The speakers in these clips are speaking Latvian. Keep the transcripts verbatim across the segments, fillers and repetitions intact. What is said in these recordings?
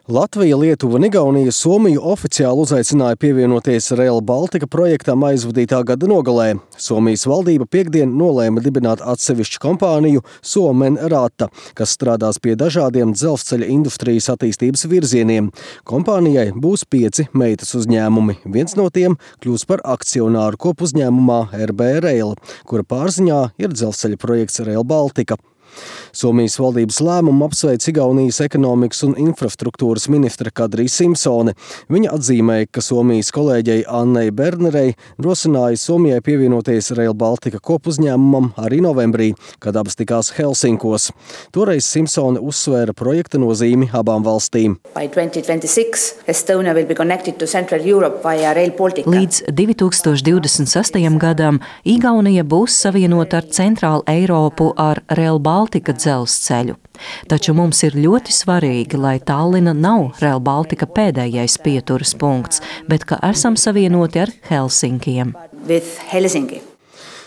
Latvija, Lietuva un Igaunija Somiju oficiāli uzaicināja pievienoties Rail Baltica projektam aizvadītā gada nogalē. Somijas valdība piektdien nolēma dibināt atsevišķu kompāniju Suomen Rata, kas strādās pie dažādiem dzelzceļa industrijas attīstības virzieniem. Kompānijai būs pieci meitas uzņēmumi. Viens no tiem kļūs par akcionāru kopuzņēmumā R B Rail, kura pārziņā ir dzelzceļa projekts Rail Baltica. Somijas valdības lēmumu apsveic Igaunijas ekonomikas un infrastruktūras ministre Kadrija Simpsone. Viņa atzīmēja, ka Somijas kolēģei Annei Bernerei rosināja Somijai pievienoties Rail Baltica kopuzņēmumam arī novembrī, kad abas tikās Helsinkos. Toreiz Simpsone uzsvēra projekta nozīmi abām valstīm. Līdz divi tūkstoši divdesmit sestajam gadam Igaunija būs savienota ar Centrālu Eiropu ar Rail Baltica dzelzceļu. Taču mums ir ļoti svarīgi, lai Tallina nav Rail Baltica pēdējais pieturas punkts, bet ka esam savienoti ar Helsinkiem.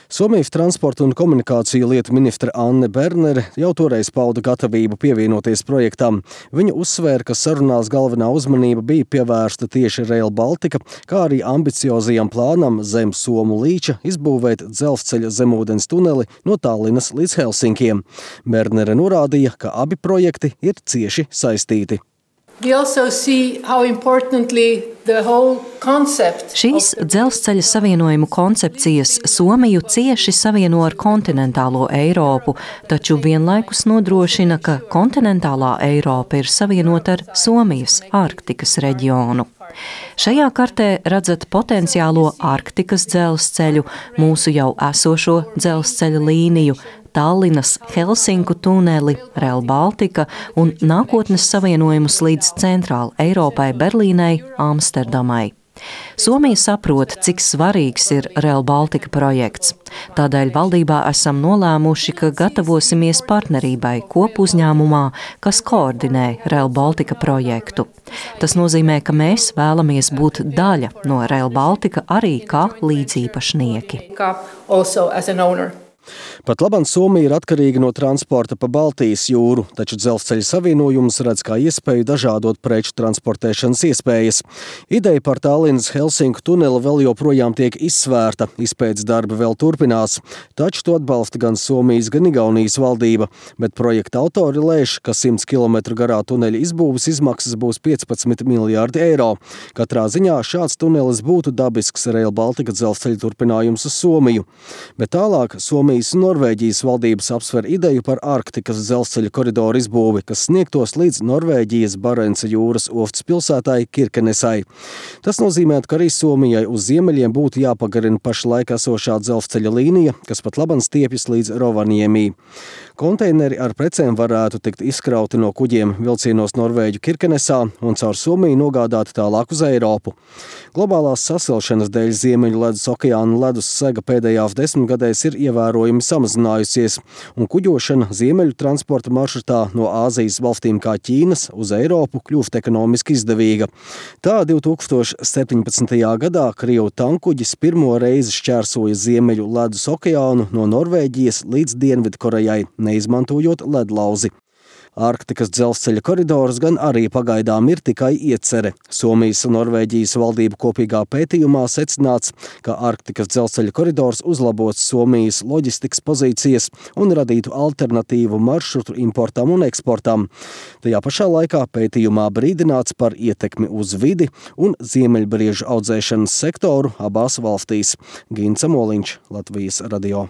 Somijas transporta un komunikāciju lietu ministre Anne Bernere jau toreiz pauda gatavību pievienoties projektam. Viņa uzsvēra, ka sarunās galvenā uzmanība bija pievērsta tieši Rail Baltica, kā arī ambiciozajam plānam zem Somu līča izbūvēt dzelzceļa zemūdens tuneli no Tallinas līdz Helsinkiem. Bernere norādīja, ka abi projekti ir cieši saistīti. Šīs dzelzceļa savienojumu koncepcijas Somiju cieši savieno ar kontinentālo Eiropu, taču vienlaikus nodrošina, ka kontinentālā Eiropa ir savienota ar Somijas Arktikas reģionu. Šajā kartē redzat potenciālo Arktikas dzelzceļu, mūsu jau esošo dzelzceļa līniju, Tallinas Helsinku tuneli, Rail Baltica un nākotnes savienojumus līdz Centrāla Eiropai, Berlīnei, Amsterdamai. Somija saprot, cik svarīgs ir Rail Baltica projekts. Tādēļ valdībā esam nolēmuši, ka gatavosimies partnerībai kopuzņēmumā, kas koordinē Rail Baltica projektu. Tas nozīmē, ka mēs vēlamies būt daļa no Rail Baltica arī kā līdzīpašnieki. Pat labam Somija ir atkarīga no transporta pa Baltijas jūru, taču dzelzceļa savienojumus redz kā iespēju dažādot preču transportēšanas iespējas. Ideja par Tallinas Helsinku tuneli vēl joprojām tiek izsvērta, izpētes darbi vēl turpinās, taču to atbalsta gan Somijas, gan Igaunijas valdība, bet projekta autori lēš, ka simts kilometru garā tuneļa izbūves izmaksas būs piecpadsmit miljārdi eiro. Katrā ziņā šāds tunelis būtu dabisks Rail Baltica dzelzceļa turpinājums uz Somiju. Bet tālāk Somijas un Norvēģijas valdības apsver ideju par Arktikas dzelzceļa koridoru izbūvi, kas sniegtos līdz Norvēģijas Barenca jūras ostas pilsētai Kirkenesai. Tas nozīmē, ka arī Somijai uz ziemeļiem būtu jāpagarina pašlaik esošā dzelzceļa līnija, kas pat labam stiepjas līdz Rovaniemī. Konteineri ar precēm varētu tikt izkrauti no kuģiem vilcienos Norvēģu Kirkenesā un caur Somiju nogādāti tālāk uz Eiropu. Globālās sasilšanas dēļ Ziemeļu ledus okeāna ledus sega pēdējās desmitgadēs ir ievērojami samazinājusies, un kuģošana ziemeļu transporta maršrutā no Āzijas valstīm kā Ķīnas uz Eiropu kļūst ekonomiski izdevīga. Tā divi tūkstoši septiņpadsmitajā gadā Krievu tankuģis pirmo reizi šķērsoja Ziemeļu ledus okeānu no Norvēģijas līdz Dienvidkorejai, neizmantojot ledlauzi. Arktikas dzelzceļa koridors gan arī pagaidām ir tikai iecere. Somijas un Norvēģijas valdību kopīgā pētījumā secināts, ka Arktikas dzelzceļa koridors uzlabots Somijas loģistikas pozīcijas un radītu alternatīvu maršrutu importam un eksportam. Tajā pašā laikā pētījumā brīdināts par ietekmi uz vidi un ziemeļbriežu audzēšanas sektoru abās valstīs. Gints Amoliņš, Latvijas radio.